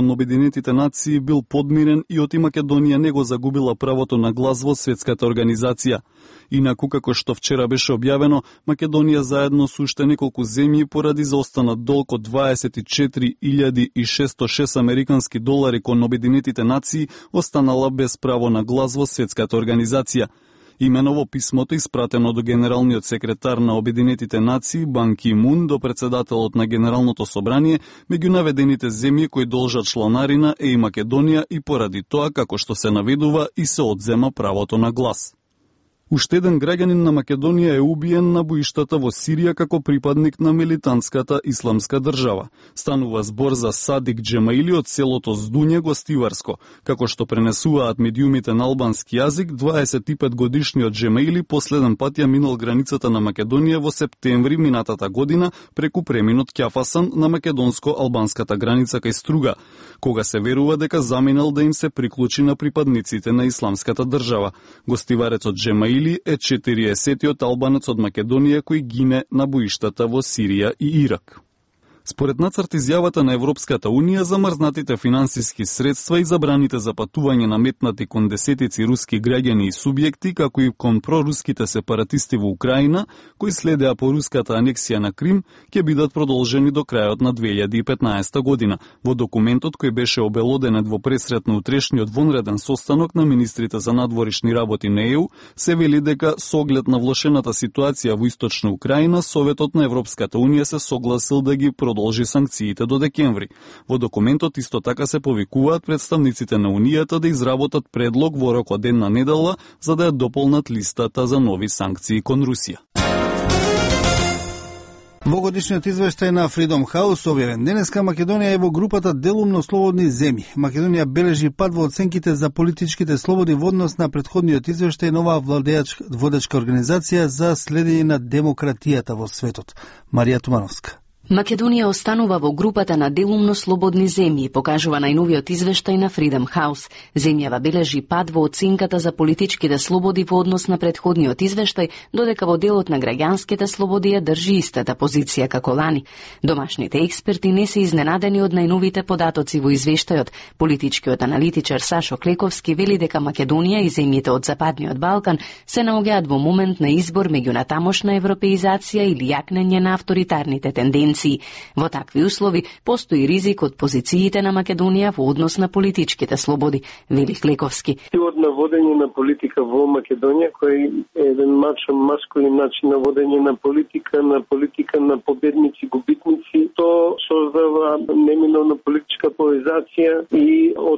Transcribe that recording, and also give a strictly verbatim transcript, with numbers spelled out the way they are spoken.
на Обединетите нации бил подмирен и оти Македонија не го загубила правото на глас во светската организација. Инаку, како што вчера беше објавено, Македонија заедно со уште неколку земји поради заостанат долг од дваесет и четири илјади и шесто и шест американски долари кон Обединетите нации останала без право на глас во светската организација. Имено во писмото испратено до генералниот секретар на Обединетите нации Бан Ки Мун до председателот на Генералното собрание, меѓу наведените земји кои должат чланарина е и Македонија и поради тоа, како што се наведува, и се одзема правото на глас. Уште еден граѓанин на Македонија е убиен на боиштата во Сирија како припадник на милитантската исламска држава. Станува збор за Садик Джемаили од селото Здуње, Гостиварско. Како што пренесуваат медиумите на албански јазик, дваесет и пет годишниот Джемаили последен пат ја минал границата на Македонија во септември минатата година преку преминот Ќафасан на македонско-албанската граница кај Струга, кога се верува дека заминал да им се приклучи на припадниците на исламската држава. Гостиварецот Джемаили е четириесеттиот албанец од Македонија кој гине на боиштата во Сирија и Ирак. Според нацрт изјавата на Европската Унија, замрзнатите финансиски средства и забраните за патување наметнати кон десетици руски граѓани и субјекти, како и кон проруските сепаратисти во Украина, кои следеа по руската анексија на Крим, ќе бидат продолжени до крајот на две илјади и петнаесета година. Во документот кој беше обелоденет во пресрет на утрешниот вонреден состанок на министрите за надворишни работи на Е У, се вели дека со оглед на влошената ситуација во источна Украина, Советот на Европската Унија се согласил да ги продолжи санкциите до декември. Во документот исто така се повикуваат представниците на Унијата да изработат предлог во рок од една недела за да ја дополнат листата за нови санкции кон Русија. Во годишниот извештај на Freedom House објавен денеска, Македонија е во групата делумно слободни земји. Македонија бележи пад во оценките за политичките слободи во однос на претходниот извештај на оваа водечка организација за следење на демократијата во светот. Марија Тумановска. Македонија останува во групата на делумно слободни земји, покажува најновиот извештај на Freedom House. Земјава бележи пад во оценката за политичките слободи во однос на претходниот извештај, додека во делот на граѓанските слободи ја држи истата позиција како лани. Домашните експерти не се изненадени од најновите податоци во извештајот. Политичкиот аналитичар Сашо Клековски вели дека Македонија и земјите од Западниот Балкан се наоѓаат во момент на избор меѓу натамошна европеизација или јакнење на авторитарните тенденции. Во такви услови постои ризик од позициите на Македонија во однос на политичките слободи, вели Клековски. Од наводење на политика во Македонија, кој е еден мачо маскулин начин на водење на политика, на политика на победници, губитници, то создава неминовна политичка поларизација и од